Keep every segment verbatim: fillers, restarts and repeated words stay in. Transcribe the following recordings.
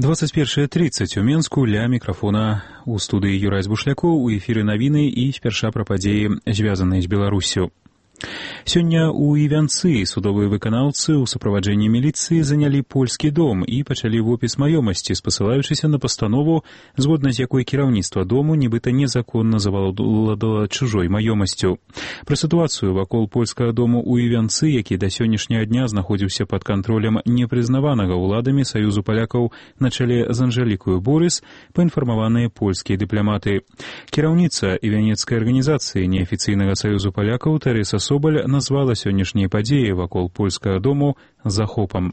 двадцать першая тридцать у Менску, ля мікрафона у студыі Юрай Збушлякоў, у эфіры навіны і спярша пра падзеі, звязаныя з Беларуссю. Сёння ў Івянцы судовыя выканаўцы ў суправаджэнні міліцыі занялі польскі дом і пачалі вопіс маёмасці, спасылаючыся на пастанову, згодна з якой кіраўніцтва дому нібыта незаконна завалодала чужой маёмасцю. Пра сітуацыю вакол польскага дому ў Івянцы, які да сённяшняга дня знаходзіўся пад кантролем непрызнаванага ўладамі Саюзу палякаў на чале з Анжэлікаю Борыс, паінфармаваныя польскія дыпламаты. Кіраўніца івянецкай арганізацыі неафіцыйнага Саюзу палякаў Тэрэса Соболь назвала сённяшнія падзеі вакол польскага дому захопам.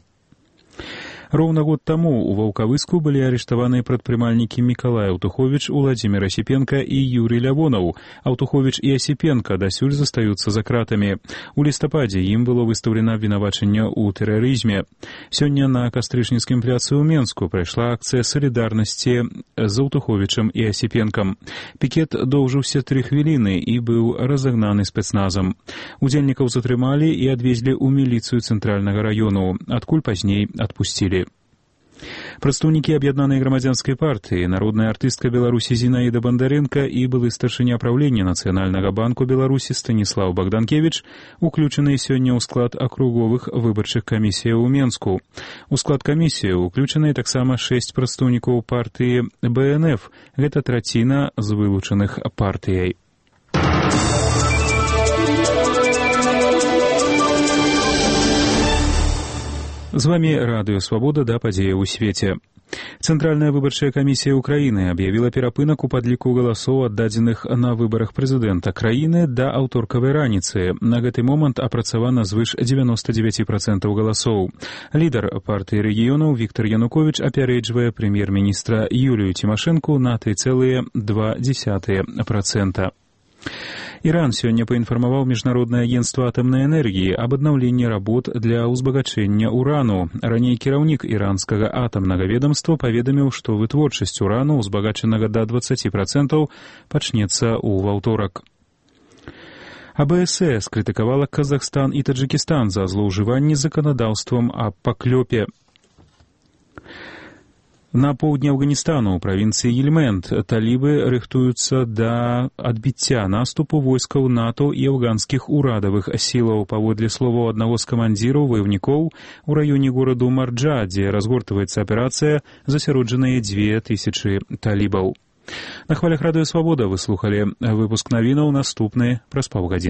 Роўна год таму ў Ваўкавыску былі арыштаваныя прадпрымальнікі Мікалай Аўтуховіч, Уладзімір Асіпенка і Юрый Лявонаў. Аўтуховіч і Асіпенка дасюль застаюцца за кратамі. У лістападзе ім было выстаўлена абвінавачанне ў тэрарызме. Сёння на Кастрычніцкім пляцы ў Менску прайшла акцыя салідарнасці з Аўтуховічам і Асіпенкам. Пікет доўжыўся тры хвіліны і быў разагнаны спецназам. Удзельнікаў затрымалі і адвезлі ў міліцыю цэнтральнага раёну, адкуль пазней адпусцілі. Прадстаўнікі аб'яднанай грамадзянскай партыі, народная артыстка Беларусі Зінаіда Бандарэнка і былы старшыня праўлення Нацыянальнага банку Беларусі Станіслаў Багданкевіч уключаныя сёння ў склад акруговых выбарчых камісіяў у Менску. У склад камісіі уключаныя таксама шэсць прадстаўнікоў партыі бэ эн эф, гэта траціна з вылучаных партыяй. З вами Радыё Свабода да падзея ў свеце. Цэнтральная выбарчая камісія ўкраіны аб'явіла перапынак у падліку галасоў, аддадзеных на выбарах прэзідэнта краіны да аўторкавай раніцы. На гэты момант апрацавана звыш дзевяноста дзевяць працэнтаў галасоў. Лідар партыі рэгіёнаў Віктар Януковіч апярэджвае прэм'ер-міністра Юлію Цімашэнку на тры цэлых два дзесятых працэнта. Іран сёння паінфармаваў Міжнароднае агенцтва атамнай энергіі аб аднаўленні работ для ўзбагачэння урану. Раней кіраўнік іранскага атамнага ведамства паведаміў, што вытворчасць урану, узбагачанага да дваццаці працэнтаў, пачнецца ў ваўторак. а бэ эс э скрытыкавала Казахстан і Таджикістан за злоўжыванні заканадаўствам аб паклёпе. На поўдні Афганістану, у правінцыі Гельманд, талібы рыхтуюцца да адбіцця наступу войскаў НАТО і афганскіх урадавых сілаў. Паводле словаў аднаго з камандзіраў ваёўнікоў, у раёне гораду Марджа, дзе разгортваецца аперацыя, засяроджаныя дзве тысячы талібаў. На хвалях Радыё Свабода вы слухалі выпуск навінаў, наступны праз паўгадзіны.